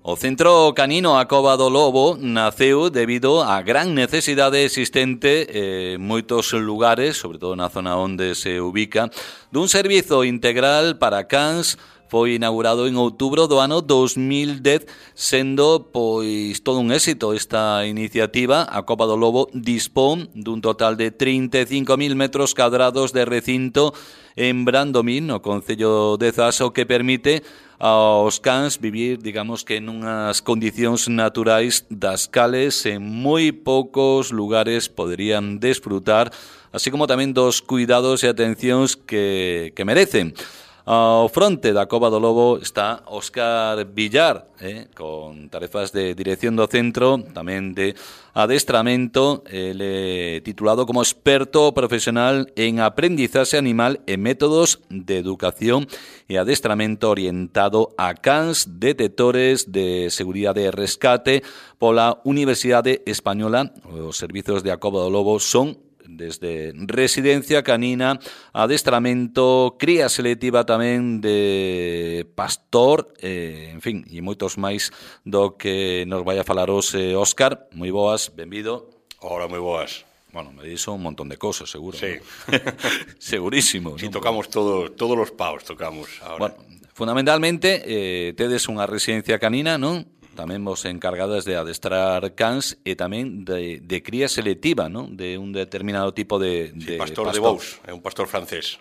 O Centro Canino A Cova do Lobo naceu debido á gran necesidade existente en moitos lugares, sobre todo na zona onde se ubica, dun servizo integral para cans. Foi inaugurado en outubro do ano 2010, sendo pois todo un éxito esta iniciativa. A Cova do Lobo dispón dun total de 35.000 metros cadrados de recinto en Brandomín, no concello de Zas, o que permite aos cans vivir, digamos que nunhas condicións naturais das cales en moi poucos lugares poderían desfrutar, así como tamén dos cuidados e atencións que merecen. Ao fronte da Cova do Lobo está Óscar Villar, con tarefas de dirección do centro, tamén de adestramento. Ele titulado como experto profesional en aprendizaxe animal e métodos de educación e adestramento orientado a cans detectores de seguridade e rescate pola Universidade Española. Os servizos de A Cova do Lobo son desde residencia canina, adestramento, cría selectiva tamén de pastor, en fin, e moitos máis do que nos vai a falar hoxe Óscar. Moi boas, benvido. Hola, moi boas. Bueno, me dixo un montón de cosas, seguro. Sí. ¿No? Segurísimo. Si, ¿no? Tocamos todos os paus, tocamos ahora. Bueno, fundamentalmente, tedes unha residencia canina, non? Tamén vos encargadas de adestrar cans e tamén de cría selectiva, non? De un determinado tipo de pastor de Bous, é un pastor francés.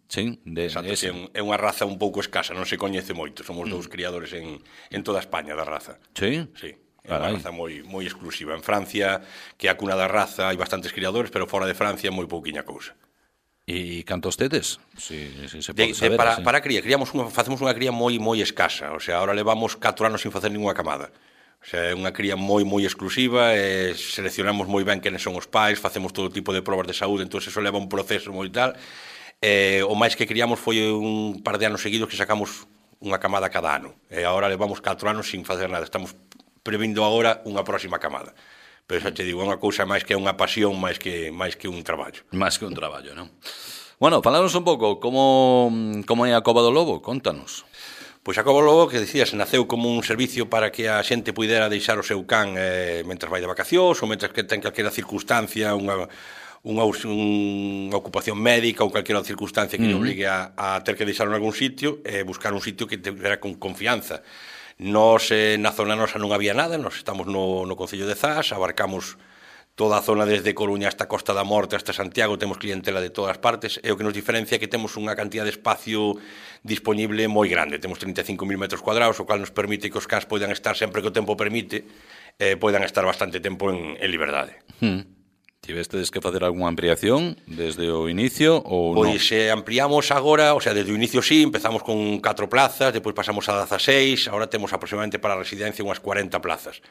Sí, exacto, é unha raza un pouco escasa, non se coñece moito. Somos dous criadores en toda España da raza. Sí? Sí. É unha raza moi exclusiva. En Francia, que é a cuna da raza, hai bastantes criadores, pero fora de Francia moi pouquiña cousa. E cantos tedes? Si se pode saber. Para a cría, facemos unha cría moi escasa. O sea, ahora levamos 4 anos sin facer ninguna camada. O sea, é unha cría moi exclusiva, seleccionamos moi ben quenes son os pais, facemos todo tipo de probas de saúde, entón eso leva un proceso moi tal. O máis que criamos foi un par de anos seguidos que sacamos unha camada cada ano. E agora levamos 4 anos sin facer nada. Estamos previndo agora unha próxima camada. Pero xa te digo, é unha cousa máis que unha pasión, máis que un traballo. Máis que un traballo, non? Bueno, falanos un pouco como é a Cova do Lobo, contanos. Pois a Cova do Lobo, que dicías, naceu como un servicio para que a xente puidera deixar o seu can mentras vai de vacacións ou mentras que ten calquera circunstancia, unha ocupación médica ou calquera circunstancia que lle obligue a ter que deixar en algún sitio, buscar un sitio que tivera con confianza. Nos, na zona nosa non había nada, nos estamos no concello de Zas, abarcamos toda a zona desde Coruña hasta Costa da Morte, hasta Santiago, temos clientela de todas partes, e o que nos diferencia é que temos unha cantidad de espacio disponible moi grande, temos 35.000 metros cuadrados, o cual nos permite que os cans poidan estar sempre que o tempo permite, poidan estar bastante tempo en liberdade. Tivestedes que facer algunha ampliación desde o inicio ou non? Pois ampliamos agora, o sea, desde o inicio sí, empezamos con 4 plazas, depois pasamos a 16, agora temos aproximadamente para a residencia unhas 40 plazas.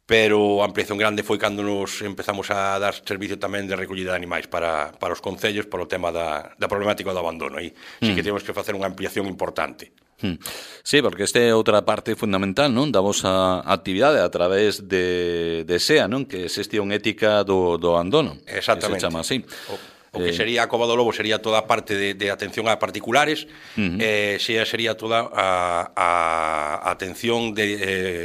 Pero a ampliación grande foi cando nos empezamos a dar servicio tamén de recollida de animais para os concellos por o tema da problemática do abandono. Aí sí que temos que facer unha ampliación importante. Sí, porque esta é outra parte fundamental, non? Da vosa actividade a través de SEA, non? Que é xestión ética do abandono. Exactamente. Que se chama así. O que sería a Cova do Lobo sería toda a parte de atención a particulares, SEA sería toda a atención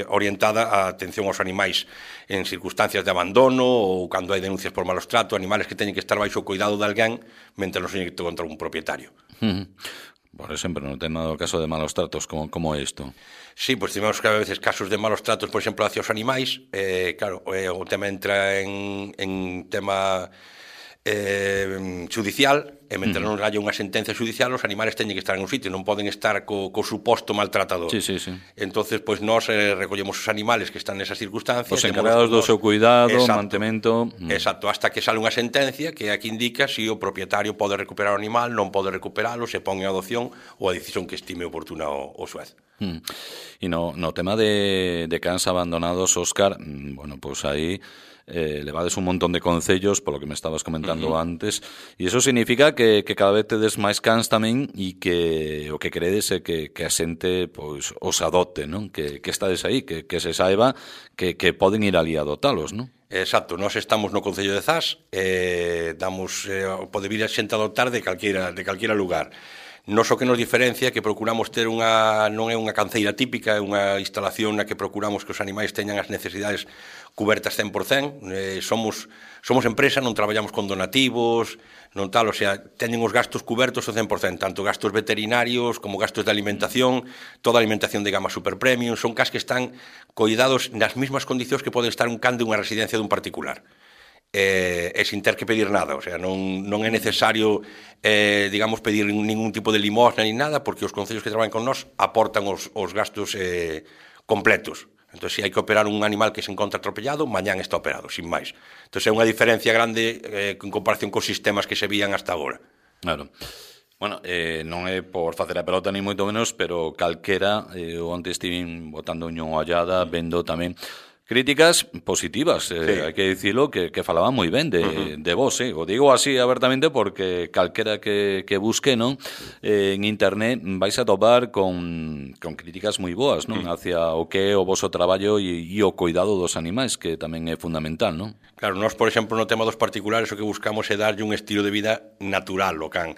orientada a atención aos animais en circunstancias de abandono ou cando hai denuncias por malos trato, animales que teñen que estar baixo o cuidado de alguén mentre non se que contra un propietario. Por exemplo, no tema do caso de malos tratos, como é isto? Sí, pois tivemos que a veces casos de malos tratos, por exemplo, hacia os animais. Claro, o tema entra en tema judicial, e mentre non haya unha sentencia judicial, os animales teñen que estar en un sitio, non poden estar co suposto maltratador. Sí. Entonces, pois nós recollemos os animales que están nesas circunstancias. Os encargados do seu cuidado, mantemento. Exacto, hasta que sale unha sentencia que aquí indica se o propietario pode recuperar o animal, non pode recuperalo, se pon en adopción ou a decisión que estime oportuna o xuez. E no tema de cans abandonados, Óscar, bueno, pois aí levades un montón de concellos, polo que me estabas comentando antes, e iso significa que cada vez tedes máis cans tamén, e que o que credes é que a xente pois os adopte, non? Que estades aí, que se saiba que poden ir ali a adotalos, non? Exacto, nós estamos no concello de Zas, pode vir a xente a adoptar de calquera lugar. Nos o que nos diferencia é que procuramos ter non é unha canceira típica, é unha instalación na que procuramos que os animais teñan as necesidades cubertas 100%, somos empresa, non traballamos con donativos, non tal, o sea, teñen os gastos cubertos ao 100%, tanto gastos veterinarios como gastos de alimentación, toda a alimentación de gama super premium, son cans que están coidados nas mesmas condicións que pode estar un can de unha residencia dun particular. E sin ter que pedir nada, o sea, non é necesario digamos, pedir ningún tipo de limosna ni nada, porque os concellos que traballan con nós aportan os gastos completos. Entón, se hai que operar un animal que se encontra atropellado, mañán está operado, sin máis. Entón, é unha diferencia grande en comparación cos sistemas que se vían hasta agora. Claro. Bueno, non é por facer a pelota ni moito menos, pero calquera, onte estive botando unha ollada, vendo tamén críticas positivas, sí. Hai que dicilo, que falaban moi ben de vos, o digo así abertamente porque calquera que busque, non, en internet vais a topar con críticas moi boas, non, hacia o que é o voso traballo e o cuidado dos animais, que tamén é fundamental, non? Claro, nós, por exemplo, no tema dos particulares o que buscamos é darlle un estilo de vida natural ao can.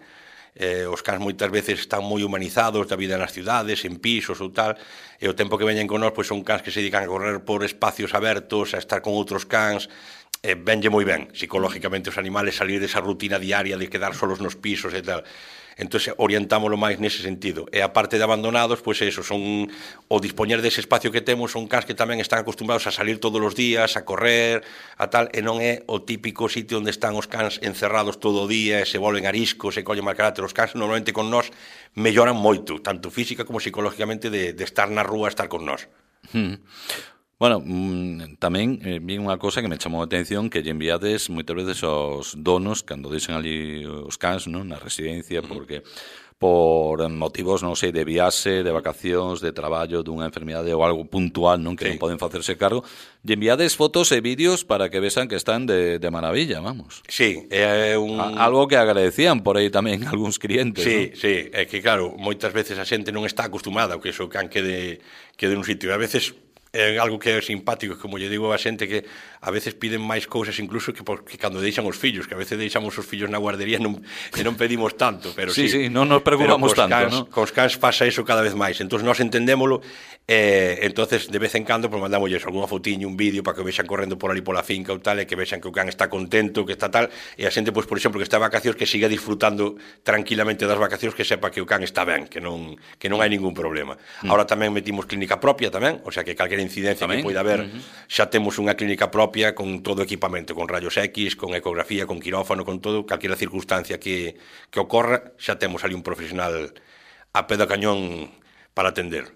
Os cans moitas veces están moi humanizados da vida nas cidades, en pisos ou tal, e o tempo que veñen con nós pois son cans que se dedican a correr por espacios abertos, a estar con outros cans, venlle moi ben psicológicamente os animales salir desa rutina diaria de quedar solos nos pisos e tal. Entón, orientámoslo máis nese sentido. E a parte de abandonados, pois eso, son o dispoñer dese espacio que temos, son cans que tamén están acostumbrados a salir todos os días, a correr, a tal, e non é o típico sitio onde están os cans encerrados todo o día e se volven ariscos e collen mal carácter. Os cans normalmente con nós melloran moito, tanto física como psicológicamente, de estar na rúa, estar con nós. Bueno, tamén vi unha cosa que me chamou a atención, que lle enviades moitas veces aos donos cando deixan ali os cans, non, na residencia, porque por motivos, non sei, de viaxe, de vacacións, de traballo, dunha enfermidade ou algo puntual, non, que non poden facerse cargo, lle enviades fotos e vídeos para que vexan que están de maravilla, vamos. Sí, é algo que agradecían por aí tamén algúns clientes, sí, non? Sí, é que claro, moitas veces a xente non está acostumada ao que o can quede nun sitio, e a veces é algo que é simpático, como lle digo a xente, que a veces piden máis cousas incluso que cando deixan os fillos, que a veces deixamos os fillos na guardería e non pedimos tanto, pero sí, non nos preocupamos tanto, non? Cos cans pasa iso cada vez máis, entón nós entendémolo, entonces de vez en cando pues, mandamosles algunha fotiña, un vídeo para que vexan correndo por ali pola finca ou tal, e que vexan que o can está contento, que está tal, e a xente, pues, por exemplo, que está de vacacións, que siga disfrutando tranquilamente das vacacións, que sepa que o can está ben, que non hai ningún problema. Ahora tamén metimos clínica propia tamén, o sea que calquera incidencia tamén que poida haber, xa temos unha clínica propia con todo o equipamento, con rayos X, con ecografía, con quirófano, con todo, calquera circunstancia que ocorra, xa temos ali un profesional a pé do cañón para atender.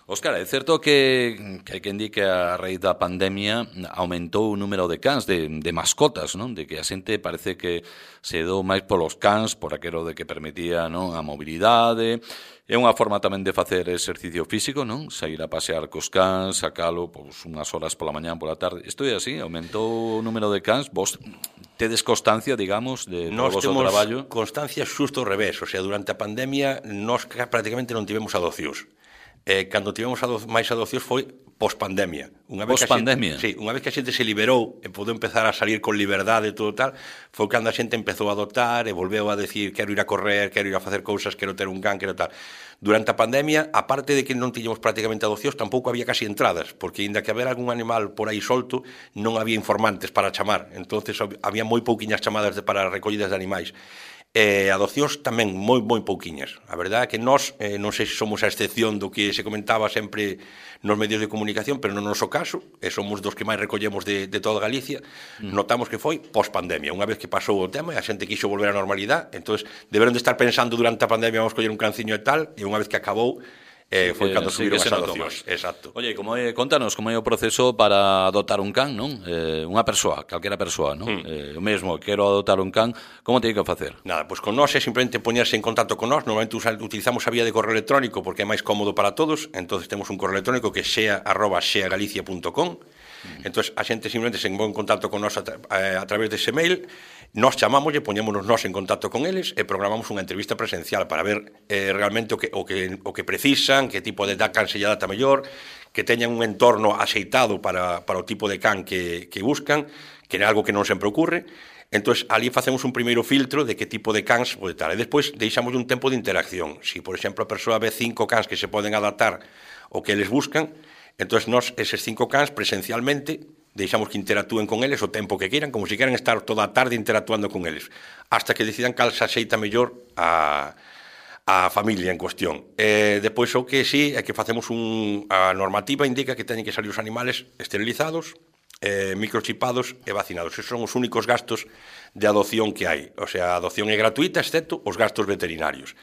Óscar, é certo que hai quen di que a raíz da pandemia aumentou o número de cans, de mascotas, non? De que a xente parece que se dou máis polos cans, por aquelo de que permitía, non, a mobilidade. É unha forma tamén de facer exercicio físico, non? Sair a pasear cos cans, sacalo pois, unhas horas pola mañá, pola tarde. Isto é así, aumentou o número de cans. Vos tedes constancia, digamos, de todo o vosso traballo? Nos temos constancia xusto ao revés. O sea, durante a pandemia, nós prácticamente non tivemos adopcións. Cando tivemos máis adopcións foi pospandemia. Pospandemia? Sí, unha vez que a xente se liberou e podeu empezar a salir con liberdade e todo tal, foi cando a xente empezou a adoptar e volveu a decir quero ir a correr, quero ir a facer cousas, quero ter un can, quero tal. Durante a pandemia, aparte de que non tiñamos prácticamente adopcións, tampouco había casi entradas, porque ainda que haber algún animal por aí solto, non había informantes para chamar. Entonces había moi pouquiñas chamadas para recollidas de animais. Adopcións tamén moi pouquiñas. A verdade é que nós, non sei se somos a excepción do que se comentaba sempre nos medios de comunicación, pero no noso caso, somos dos que máis recollemos de toda Galicia, notamos que foi post-pandemia. Unha vez que pasou o tema e a xente quixo volver á normalidade, entón deberon de estar pensando durante a pandemia vamos coller un canciño e tal, e unha vez que acabou, foi cando subiron as adopcións. Exacto. Oye, contanos como é o proceso para adoptar un can, non? Unha persoa, calquera persoa, non? O mesmo, quero adoptar un can, como teño que facer? Nada, pois con nós é simplemente poñerse en contacto con nós. Normalmente utilizamos a vía de correo electrónico porque é máis cómodo para todos. Entonces temos un correo electrónico que é xea@xeagalicia.com. Entón a xente simplemente se pon en contacto con nós a través dese mail. Nós chamámoslle, poñémonos nós en contacto con eles e programamos unha entrevista presencial para ver realmente o que precisan, que tipo de can se lle adapta mellor, que teñan un entorno axeitado para o tipo de can que buscan, que é algo que non sempre ocurre. Entón, ali facemos un primeiro filtro de que tipo de cans pode estar. E despois deixamos un tempo de interacción. Se, por exemplo, a persoa ve 5 cans que se poden adaptar ao que eles buscan, entón, nós, eses 5 cans, presencialmente, deixamos que interactúen con eles o tempo que queiran, como se queran estar toda a tarde interactuando con eles, hasta que decidan cal se axeita mellor a familia en cuestión. Depois, o que sí, é que facemos a normativa indica que teñen que salir os animales esterilizados, microchipados e vacinados. Esos son os únicos gastos de adopción que hai. O sea, a adopción é gratuita, excepto os gastos veterinarios.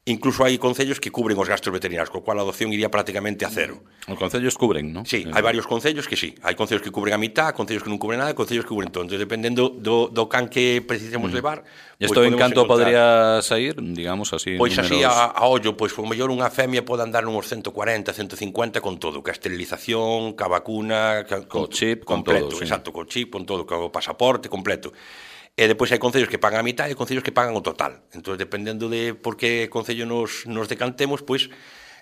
Incluso hai concellos que cubren os gastos veterinarios, co cual a adopción iría prácticamente a cero. Os concellos cubren, non? Sí, hai varios concellos que sí. Hai concellos que cubren a mitad, concellos que non cubren nada, concellos que cubren todo. Entón, dependendo do can que precisemos levar... E isto en canto podría sair, digamos, así... Pois así, a ollo, pois, por mellor unha femia pode andar uns 140, 150 con todo, ca esterilización, ca vacuna... Co chip, con completo, todo, sí. Exacto, co chip, con todo, co pasaporte, completo. E depois hai concellos que pagan a mitad e concellos que pagan o total. Entón, dependendo de por que concello nos decantemos, pois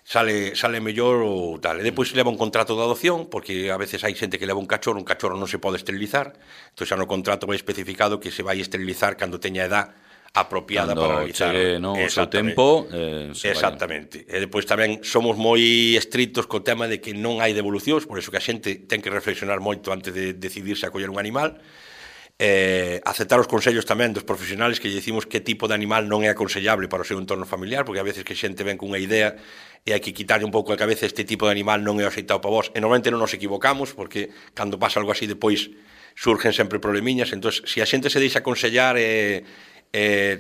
sale mellor ou tal. E depois leva un contrato de adopción, porque a veces hai xente que leva un cachorro non se pode esterilizar, entón xa no contrato vai especificado que se vai esterilizar cando teña edad apropiada para realizar. Chegue, no, o seu tempo, exactamente. E depois tamén somos moi estritos co tema de que non hai devolucións, por iso que a xente ten que reflexionar moito antes de decidirse a coller un animal. Aceptar os consellos tamén dos profesionales que lle dicimos que tipo de animal non é aconsellable para o seu entorno familiar, porque a veces que xente ven cunha idea e hai que quitarlle un pouco a cabeza este tipo de animal non é aceitado para vos, e normalmente non nos equivocamos, porque cando pasa algo así depois surgen sempre problemiñas. Entón, se a xente se deixa aconsellar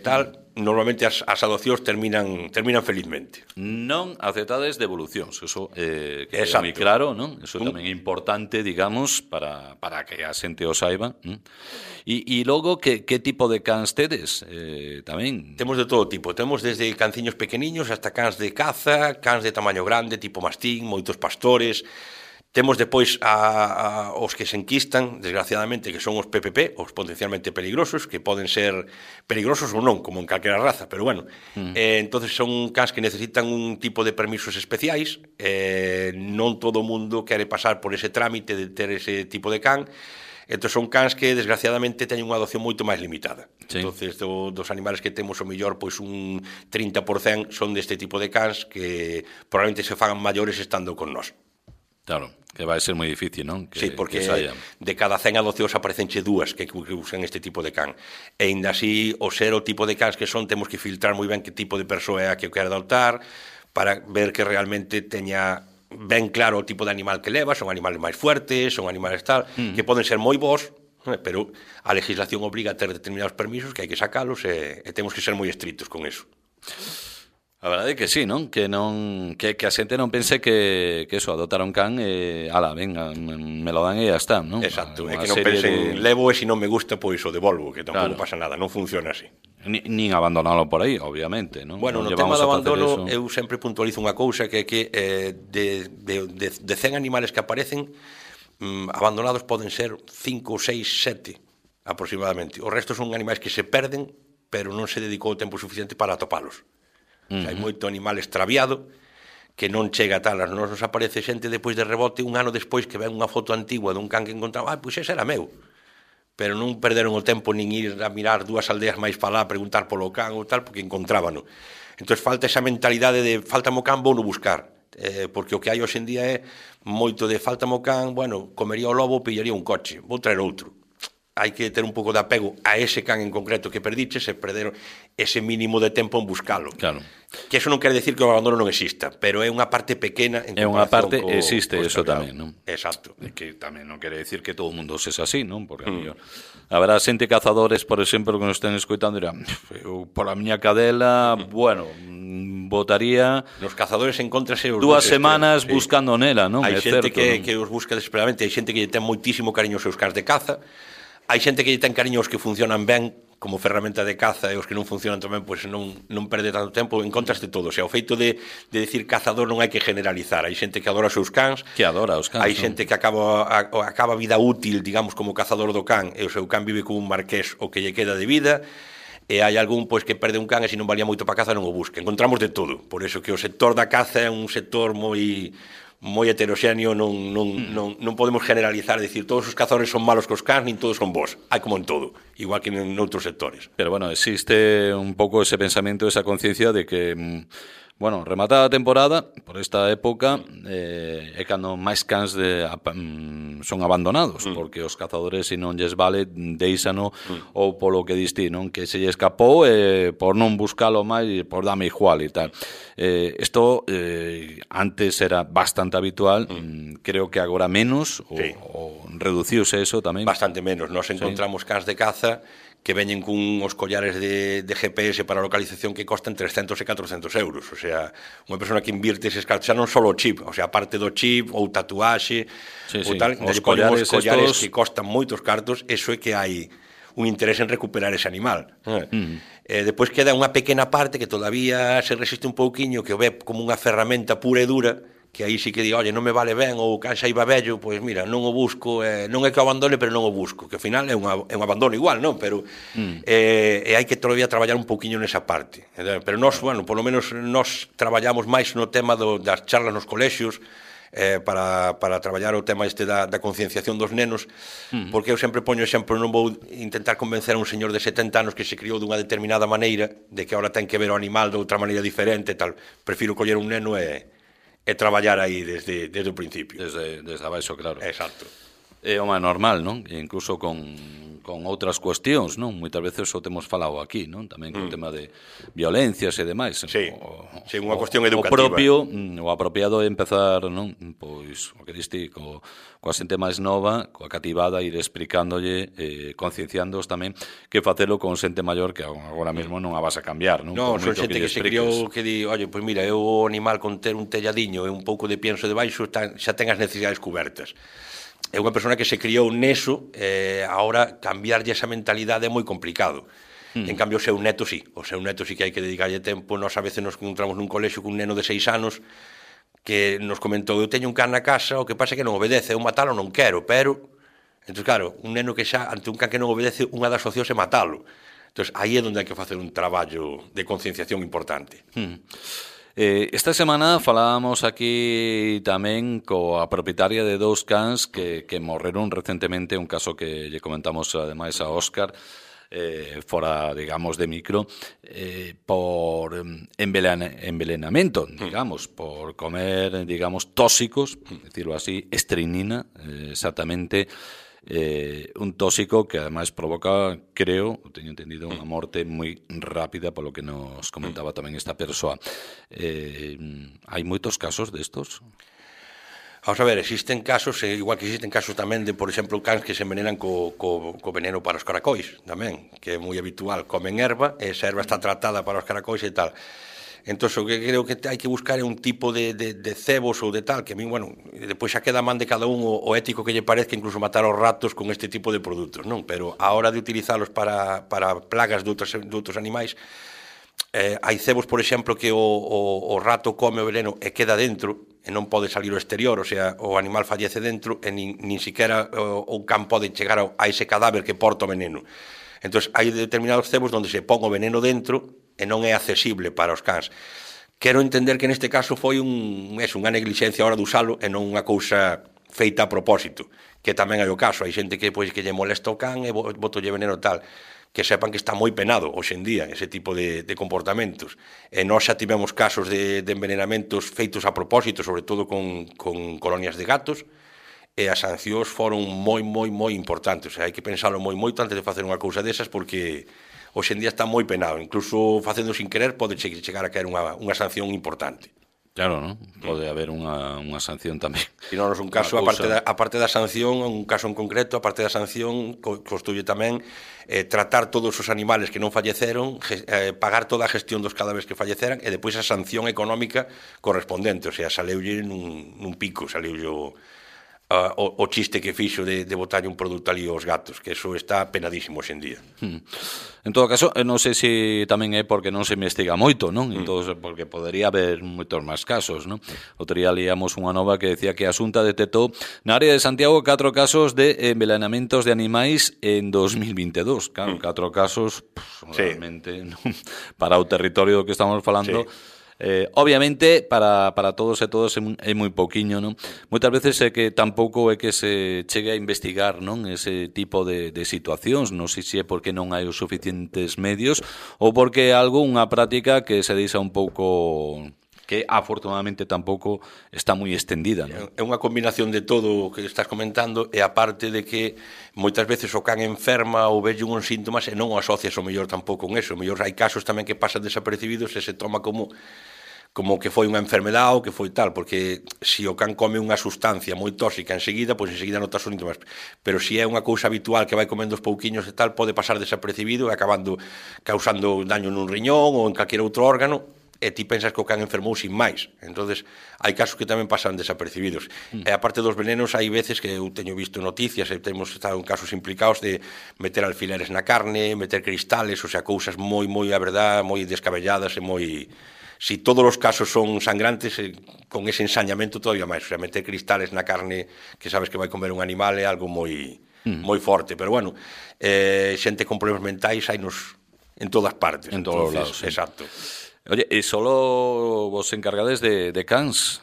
tal, normalmente as adopcións terminan felizmente. Non aceptades devolucións, eso que é moi claro, non? Eso tamén é importante, digamos, para que a xente o saiba. E logo, que tipo de cans tedes tamén? Temos de todo tipo, temos desde canciños pequeniños hasta cans de caza, cans de tamaño grande, tipo mastín, moitos pastores. Temos depois os que se enquistan, desgraciadamente, que son os PPP, os potencialmente peligrosos, que poden ser peligrosos ou non, como en calquera raza, pero bueno. Entonces son cans que necesitan un tipo de permisos especiais, non todo o mundo quere pasar por ese trámite de ter ese tipo de can. Entón son cans que, desgraciadamente, teñen unha adopción moito máis limitada. Sí. Entonces, dos animales que temos, o mellor, pois un 30% son deste tipo de cans que probablemente se fagan maiores estando con nós. Claro, que vai ser moi difícil, non? Sí, porque de cada 100 adopcións aparecenche 2 que usan este tipo de can. E ainda así, o ser o tipo de cans que son, temos que filtrar moi ben que tipo de persoa é a que o quere adoptar, para ver que realmente teña ben claro o tipo de animal que leva, son animales máis fuertes, son animales tal, que poden ser moi bons, pero a legislación obriga a ter determinados permisos que hai que sacalos e temos que ser moi estritos con eso. A verdade é que sí, non? Que a xente non pense que eso, adoptar un can ala, venga, me lo dan e ya está, non? Exacto, é que non pensen levo e se non me gusta, pois o devolvo, que tampouco pasa nada, non funciona así. Nin abandonalo por aí, obviamente, non? Bueno, no tema do abandono, eu sempre puntualizo unha cousa que é que de 100 animales que aparecen, abandonados poden ser 5, 6, 7 aproximadamente. O resto son animais que se perden, pero non se dedicou o tempo suficiente para atopalos. Hai moito animal extraviado que non chega a tal. Nos aparece xente depois de rebote un ano despois que ven unha foto antigua dun can que encontraba, pois ese era meu, pero non perderon o tempo nin ir a mirar 2 aldeas máis para lá a preguntar polo can ou tal, porque encontrábano. Entón falta esa mentalidade de falta mo can, vou no buscar, porque o que hai hoxe en día é moito de falta mo can, bueno, comería o lobo, pillaría un coche, vou traer outro. Hai que ter un pouco de apego a ese can en concreto que perdiches e perderon ese mínimo de tempo en buscalo. Claro. Que eso non quere decir que o abandono non exista, pero é unha parte pequena en comparación. É unha parte, existe eso tamén, non? Exacto. É que tamén non quere decir que todo o mundo sexa así, non? Porque haberá xente cazadores, por exemplo, que nos estén escoitando dirán, eu por a miña cadela, bueno, botaría nos cazadores encontrase 2 semanas buscando nela, non? Hai xente que os busca desesperadamente, hai xente que lle ten moitísimo cariño aos seus cans de caza. Hai xente que lle ten cariño aos que funcionan ben como ferramenta de caza e os que non funcionan tamén, pois non perde tanto tempo, encontraste todo. O sea, o feito de decir cazador non hai que generalizar. Hai xente que adora os seus cans, que adora os cans. Hai xente que acaba a vida útil, digamos, como cazador do can, e o seu can vive como un marqués o que lle queda de vida, e hai algún pois que perde un can e se non valía moito para caza non o busca. Encontramos de todo. Por eso que o sector da caza é un sector moi moi heteroxéneo, non podemos generalizar, decir, todos os cazadores son malos cos cans, nin todos son bons. Hai como en todo, igual que en outros sectores. Pero bueno, existe un pouco ese pensamento, esa conciencia de que, bueno, rematada a temporada, por esta época, é cando máis cans son abandonados, porque os cazadores, se non lles vale, deixano, ou polo que distí, non? Que se lle escapou, por non buscalo máis, por dame igual e tal. Isto antes era bastante habitual, creo que agora menos, ou reduciuse eso tamén. Bastante menos, nos encontramos cans de caza que veñen cun os collares de GPS para localización que costan 300 e 400 euros. O sea, unha persona que invirte eses cartos, xa non só o chip, o sea, aparte do chip ou tatuaxe, ou tal, os collares estos que costan moitos cartos, eso é que hai un interés en recuperar ese animal. Depois queda unha pequena parte que todavía se resiste un pouquiño, que o ve como unha ferramenta pura e dura, que aí sí que di, oye, non me vale ben, ou canxa iba vello, pois mira, non o busco, non é que o abandone, pero non o busco, que ao final é un abandono igual, non? Pero hai que todavía traballar un pouquiño nesa parte. Pero nós, bueno, polo menos nós traballamos máis no tema das charlas nos colexios, para traballar o tema da concienciación dos nenos, porque eu sempre poño exemplo, non vou intentar convencer a un señor de 70 anos que se criou dunha determinada maneira, de que ahora ten que ver o animal de outra maneira diferente, tal. Prefiro coller un neno e traballar aí desde o principio. Desde abaixo, claro. Exacto. É o máis normal, non? Incluso con outras cuestións, non? Moitas veces o temos falado aquí, non? Tamén con o tema de violencias e demais. Sí, unha cuestión educativa. O apropiado é empezar, non? Pois, o que diste, coa xente máis nova, coa cativada, ir explicándolle, concienciándoos tamén, que facelo con xente maior que agora mesmo non a vas a cambiar, non? Non, son xente que se criou que di, oye, pois mira, eu o animal con ter un telladiño e un pouco de pienso debaixo xa ten as necesidades cubertas. É unha persona que se criou neso, agora cambiarlle esa mentalidade é moi complicado. En cambio, o seu neto sí que hai que dedicarlle tempo. Nós a veces nos encontramos nun colexio cun neno de 6 anos que nos comentou, eu teño un can na casa, o que pasa é que non obedece, eu matalo non quero, pero... Entón, claro, un neno que xa, ante un can que non obedece, unha das opcións é matalo. Entón, aí é onde hai que facer un traballo de concienciación importante. Esta semana falábamos aquí tamén coa propietaria de 2 cans que morreron recentemente, un caso que lle comentamos ademais a Óscar, fora, digamos, de micro, por envenenamento, digamos, por comer, digamos, tóxicos, decirlo así, estrinina, exactamente, un tóxico que ademais provoca, creo, teño entendido, unha morte moi rápida, polo que nos comentaba tamén esta persoa. Hai moitos casos destos? Vamos a ver, existen casos, igual que existen casos tamén de, por exemplo, cans que se envenenan co veneno para os caracois, tamén, que é moi habitual, comen erva, e esa erva está tratada para os caracois e tal. Entón, o que creo que hai que buscar é un tipo de cebos ou de tal, que a mí, bueno, depois xa queda man de cada un o ético que lle parezca incluso matar aos ratos con este tipo de produtos, non? Pero a hora de utilizalos para plagas de outros animais, hai cebos, por exemplo, que o rato come o veneno e queda dentro, e non pode salir ao exterior, o sea, o animal fallece dentro e nin siquiera o can pode chegar a ese cadáver que porta o veneno. Entón, hai determinados cebos onde se pon o veneno dentro e non é accesible para os cans. Quero entender que neste caso foi unha neglixencia a hora de usalo e non unha cousa feita a propósito, que tamén hai o caso. Hai xente que lle molesta o can e botolle veneno tal, que sepan que está moi penado hoxe en día ese tipo de comportamentos. E nós xa tivemos casos de envenenamentos feitos a propósito, sobre todo con colonias de gatos, e as sancións foron moi importantes. O sea, hai que pensalo moito antes de facer unha cousa desas, porque hoxe en día está moi penado, incluso facendo sin querer pode chegar a caer unha sanción importante. Claro, non? Pode haber unha sanción tamén. E non é un caso, aparte da sanción, un caso en concreto, aparte da sanción, constituye tamén tratar todos os animales que non falleceron, pagar toda a gestión dos cadáveres que falleceran, e depois a sanción económica correspondente, o sea, saleulle nun pico, saleulle o chiste que fixo de botarlle un produto ali aos gatos, que eso está penadísimo hoxe en día. En todo caso, non sei se tamén é porque non se investiga moito, non? Entón, porque podería haber moitos máis casos, non? Outro día liamos unha nova que decía que a Xunta detectou na área de Santiago 4 casos de envenenamentos de animais en 2022. Claro, 4 casos, realmente, non? Para o territorio que estamos falando, Obviamente, para todos e todas é moi pouquiño, non? Moitas veces é que tampouco é que se chegue a investigar, non? Ese tipo de situacións, non sei se é porque non hai os suficientes medios ou porque é algo, unha práctica que se deixa un pouco, que afortunadamente tampouco está moi extendida, non? É unha combinación de todo o que estás comentando, e a parte de que moitas veces o can enferma ou velle uns síntomas e non o asocias o mellor tampouco con eso. O mellor hai casos tamén que pasan desapercibidos e se toma como que foi unha enfermedade ou que foi tal, porque se o can come unha sustancia moi tóxica enseguida, pois enseguida notas os síntomas, pero se é unha cousa habitual que vai comendo os pouquiños e tal, pode pasar desapercibido e acabando causando daño nun riñón ou en calquer outro órgano, e ti pensas que o can enfermou sin máis. Entonces hai casos que tamén pasan desapercibidos. E a parte dos venenos, hai veces que eu teño visto noticias e temos estado en casos implicados de meter alfileres na carne, meter cristales, o sea, cousas moi, a verdad, moi descabelladas e moi... Si todos os casos son sangrantes, con ese ensañamento todavía máis. O sea, meter cristales na carne que sabes que vai comer un animal é algo moi forte. Pero bueno, xente con problemas mentais hai nos en todas partes. En todos os lados, sí. Exacto. Oye, e solo vos encargades de cans?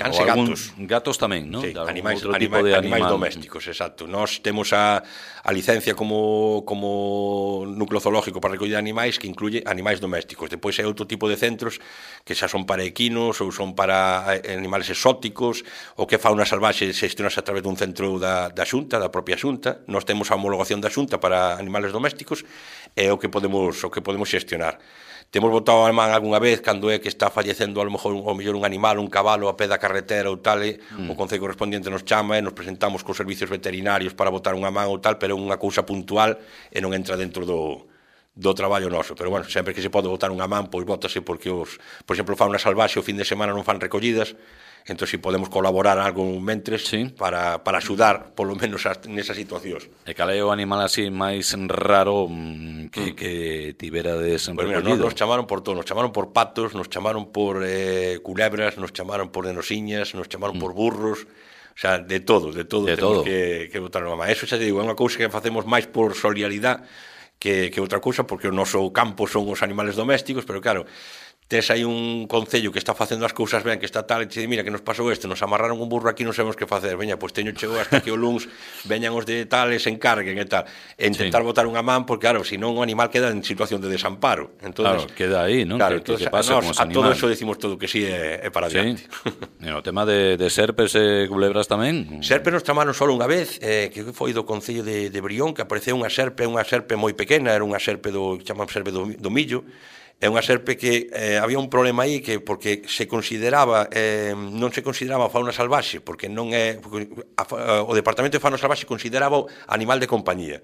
Cans e gatos. Gatos tamén, non? Sí, animais domésticos, exacto. Nós temos a licencia como núcleo zoológico para recoller animais que incluye animais domésticos. Depois hai outro tipo de centros que xa son para equinos ou son para animales exóticos, ou que fauna salvaxe xestionase a través dun centro da Xunta, da propia Xunta. Nós temos a homologación da Xunta para animales domésticos e o que podemos xestionar. Temos botado a man algunha vez cando é que está fallecendo a lo mellor un animal, un cabalo a pé da carretera ou tal, o concello correspondiente nos chama e nos presentamos cos servicios veterinarios para botar unha man ou tal, pero é unha cousa puntual e non entra dentro do traballo noso. Pero bueno, sempre que se pode botar unha man, pois bótase, porque por exemplo, fauna salvaxe o fin de semana non fan recollidas. Entón, si podemos colaborar algo mentres, sí, para axudar, polo menos, nesas situacións. E cal é o animal así máis raro que tiverades recollido? Mira, nos chamaron por todo, nos chamaron por patos, nos chamaron por culebras, nos chamaron por denosiñas, nos chamaron por burros, o sea, de todo temos que botar unha má. Eso xa te digo, é unha cousa que facemos máis por solidaridade que outra cousa, porque o noso campo son os animales domésticos, pero claro, tes aí un concello que está facendo as cousas ben, que está tal, e te di, mira, que nos pasou isto, nos amarraron un burro aquí, non sabemos que facer, veña, pois teño chegou hasta que o luns veñan os de tales, se encarguen e tal, e intentar botar unha man, porque claro, senón o animal queda en situación de desamparo. Entonces, claro, queda aí, non? Claro, que pasa con os animales. A todo eso decimos todo que sí é para adiante. E o tema de serpes e culebras tamén? Serpes nos chamaron só unha vez, que foi do concello de Brión, que apareceu unha serpe moi pequena, era unha serpe chaman serpe do millo. É unha serpe que había un problema aí, que porque se consideraba non se consideraba fauna salvaxe, porque non é o Departamento de Fauna Salvaxe consideraba animal de compañía,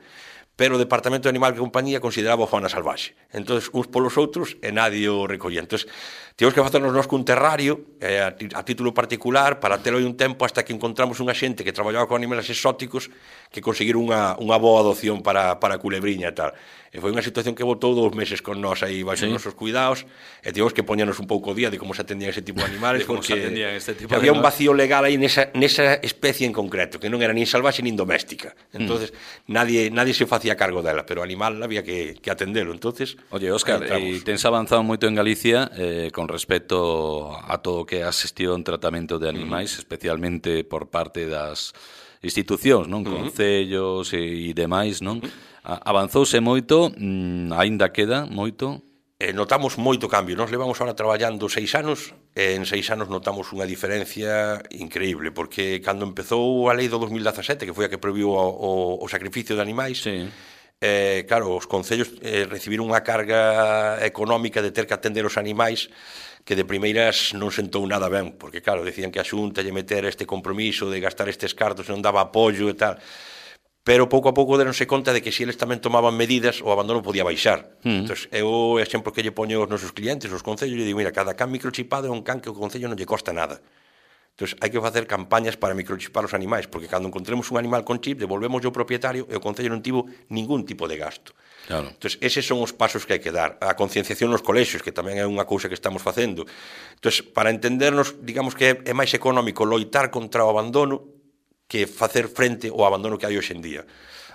pero o Departamento de Animal de Compañía consideraba fauna salvaxe. Entonces, uns polos outros e nadie o recollía. Entonces, tivemos que facernos nós cun terrario a título particular para telo aí un tempo hasta que encontramos unha xente que traballaba con animales exóticos que conseguiron unha boa adopción para a culebriña e tal. E foi unha situación que botou 2 meses con nós aí baixo nosos cuidados, e tivemos que poñernos un pouco o día de como se atendían ese tipo de animales, porque había un vacío legal aí nesa especie en concreto, que non era nin salvaxe nin doméstica. Entonces nadie se facía cargo dela, pero o animal había que atendelo. Entonces, oye, Óscar, e tens avanzado moito en Galicia con respecto a todo o que é a xestión, tratamento de animais, especialmente por parte das institucións, non? Concellos e demais, non? Avanzouse moito, aínda queda moito? Notamos moito cambio. Nós levamos ahora traballando 6 anos, e en 6 anos notamos unha diferencia increíble, porque cando empezou a lei do 2017, que foi a que prohibiu o sacrificio de animais, sí, claro, os concellos recibiron unha carga económica de ter que atender os animais que de primeiras non sentou nada ben, porque claro, decían que a Xunta lle meter este compromiso de gastar estes cartos non daba apoio e tal, pero pouco a pouco deronse conta de que se eles tamén tomaban medidas, o abandono podía baixar. Entón, eu o exemplo que lle poño aos nosos clientes, os concellos, lle digo, mira, cada can microchipado é un can que o concello non lle costa nada. Entón, hai que facer campañas para microchipar os animais, porque cando encontremos un animal con chip, devolvemos ao propietario e o concello non tivo ningún tipo de gasto. Claro. Entón, eses son os pasos que hai que dar. A concienciación nos colexios, que tamén é unha cousa que estamos facendo. Entón, para entendernos, digamos que é máis económico loitar contra o abandono que facer frente ao abandono que hai hoxe en día.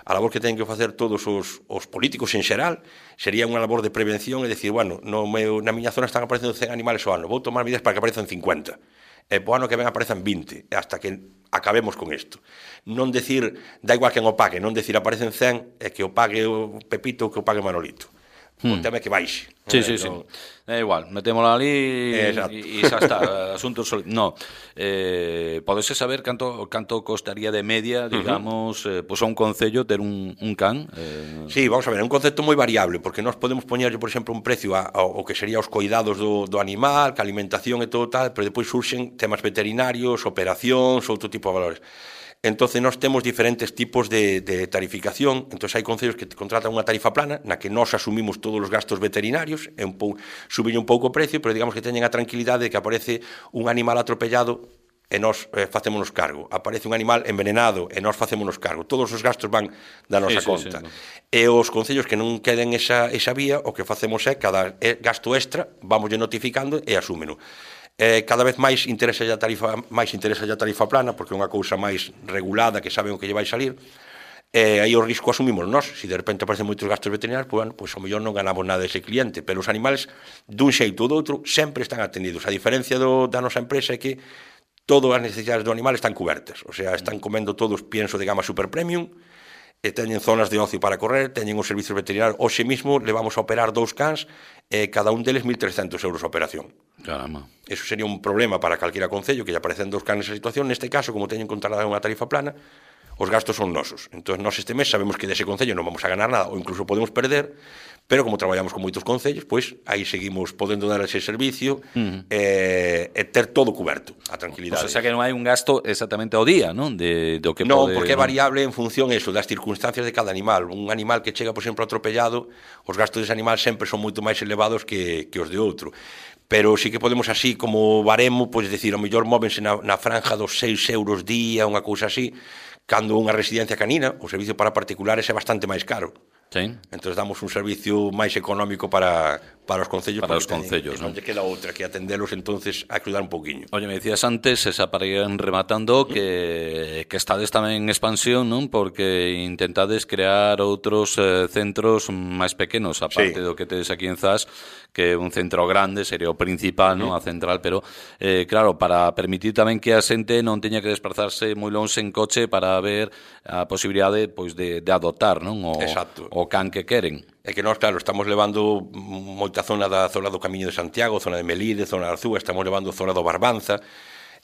a labor que teñen que facer todos os políticos en xeral sería unha labor de prevención e decir, bueno, na miña zona están aparecendo 100 animales ao ano, vou tomar medidas para que aparezan 50, e po ano que ven aparezan 20, hasta que acabemos con isto. Non decir, da igual quen o pague, non decir aparecen 100 e que o pague o Pepito ou que o pague Manolito. O tema é que baixe. Sí. É igual, metémola ali e xa está, asunto no. Podese saber canto costaría de media, digamos, pois a un concello ter un can? Sí, vamos a ver, é un concepto moi variable, porque nós podemos poñerlle, por exemplo, un precio ao que sería os coidados do animal, que alimentación e todo tal, pero depois surxen temas veterinarios, operacións, outro tipo de valores. Entonces nós temos diferentes tipos de tarificación. Entonces hai concellos que contratan unha tarifa plana na que nós asumimos todos os gastos veterinarios, subiño un pouco o precio, pero digamos que teñen a tranquilidade de que aparece un animal atropellado e nós facémonos cargo, aparece un animal envenenado e nós facémonos cargo, todos os gastos van da nosa conta. E os concellos que non queden esa vía, o que facemos é cada gasto extra vamos notificando e asúmeno. Cada vez máis interesa a tarifa plana, porque é unha cousa máis regulada, que saben o que lle vai salir, e aí o risco asumimos nós. Se de repente aparecen moitos gastos veterinarios, pois ao mellor non ganamos nada dese cliente, pero os animales, dun xeito ou do outro, sempre están atendidos. A diferencia da nosa empresa é que todas as necesidades do animal están cubertas, o sea, están comendo todos pienso de gama super premium, e teñen zonas de ocio para correr, teñen os servicios veterinarios. Hoxe mismo levamos a operar 2 cans, e cada un deles 1.300 euros a operación. Caramba. Eso sería un problema para calquera concello que lle aparecen 2 cans nesa situación. Neste caso, como teñen contratada unha tarifa plana, os gastos son nosos. Entón, nós este mes sabemos que dese concello non vamos a ganar nada, ou incluso podemos perder, pero como traballamos con moitos concellos, pois aí seguimos podendo dar ese servicio e ter todo cuberto, a tranquilidade. O sea que non hai un gasto exactamente ao día, non? Do que non, porque é variable en función eso, das circunstancias de cada animal. Un animal que chega, por exemplo, atropellado, os gastos dese animal sempre son moito máis elevados que os de outro. Pero sí que podemos así, como baremo, pois decir, ao mellor móvense na franja dos 6 euros día, unha cousa así, cando unha residencia canina, o servicio para particulares é bastante máis caro. Sí. Entón damos un servicio máis económico para os concellos, para os concellos, non lle queda outra que atendelos, entonces a ayudar un poquinho. Oye, me decías antes, esa para ir rematando, que estades tamén en expansión, non? Porque intentades crear outros centros máis pequenos, aparte do que tedes aquí en Zas, que un centro grande sería o principal, non? A central, pero claro, para permitir tamén que a xente non teña que desplazarse moi longe en coche para ver a posibilidade pois de adoptar, non? O can que queren. É que nós, claro, estamos levando moita zona do Camiño de Santiago, zona de Melide, zona de Arzúa, estamos levando zona do Barbanza,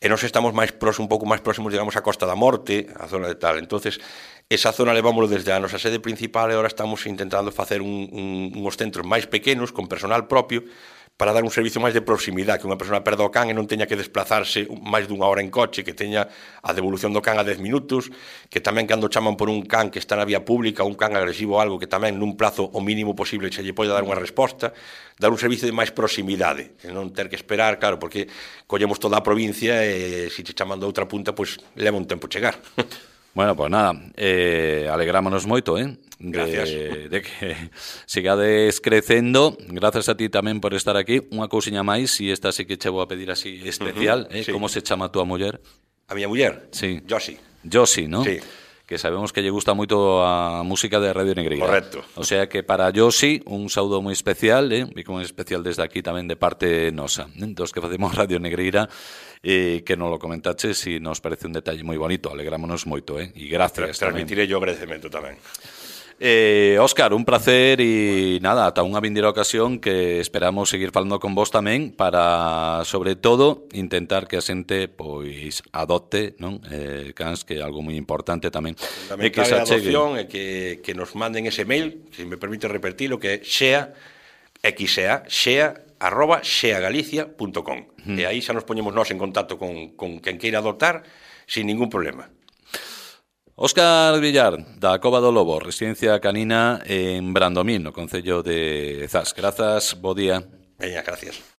e nós estamos un pouco máis próximos, digamos, a Costa da Morte, a zona de tal. Entonces, esa zona levámoslo desde a nosa sede principal e agora estamos intentando facer uns centros máis pequenos, con personal propio, para dar un servicio máis de proximidade, que unha persona perda o can e non teña que desplazarse máis dunha hora en coche, que teña a devolución do can a 10 minutos, que tamén cando chaman por un can que está na vía pública, un can agresivo ou algo, que tamén nun plazo o mínimo posible se lle pode dar unha resposta, dar un servicio de máis proximidade, e non ter que esperar, claro, porque collemos toda a provincia e se te chaman de outra punta, pois leva un tempo chegar. Bueno, pues nada, alegrámonos moito, Gracias. De que sigades crecendo. Gracias a ti tamén por estar aquí. Unha cousiña máis, e esta sí que che vou a pedir así especial, sí. Como se chama a túa muller? A miña muller? Sí. Josi, ¿no? Sí. Que sabemos que lle gusta moito a música de Radio Negreira. Correcto. O sea que para Josi un saúdo moi especial, e moi especial desde aquí tamén de parte nosa, dos que facemos Radio Negreira, que nos lo comentaches e nos parece un detalle moi bonito, alegrámonos moito, e gracias. Transmitiré yo agradecemento tamén. Óscar, un placer e nada, ata unha vindeira ocasión que esperamos seguir falando con vos tamén para, sobre todo, intentar que a xente pois adopte, non? Cans, que é algo moi importante tamén. Fundamental a adopción e que nos manden ese mail, se me permite repetirlo, que é xea@xeagalicia.com. E aí xa nos poñemos nós en contacto con quen queira adoptar sin ningún problema. Óscar Villar, da Cova do Lobo, residencia canina en Brandomín, no concello de Zas. Grazas, bo día. Veña, gracias.